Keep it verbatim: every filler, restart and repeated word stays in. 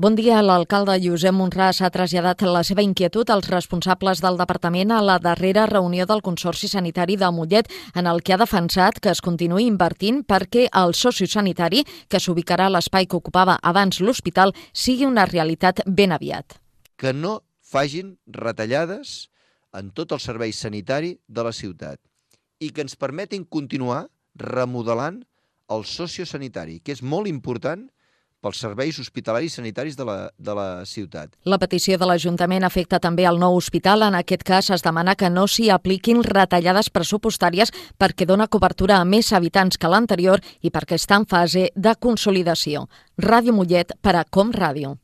Bon dia. L'alcalde Josep Monràs ha traslladat la seva inquietud als responsables del departament a la darrera reunió del Consorci Sanitari de Mollet, en el que ha defensat que es continuï invertint perquè el sociosanitari, que s'ubicarà a l'espai que ocupava abans l'hospital, sigui una realitat ben aviat. Que no facin retallades en tot el servei sanitari de la ciutat i que ens permetin continuar remodelant el sociosanitari, que és molt important pels serveis hospitalaris sanitaris de la, de la ciutat. La petició de l'Ajuntament afecta també el nou hospital. En aquest cas es demana que no s'hi apliquin retallades pressupostàries perquè dona cobertura a més habitants que l'anterior i perquè està en fase de consolidació. Ràdio Mollet per a Com Ràdio.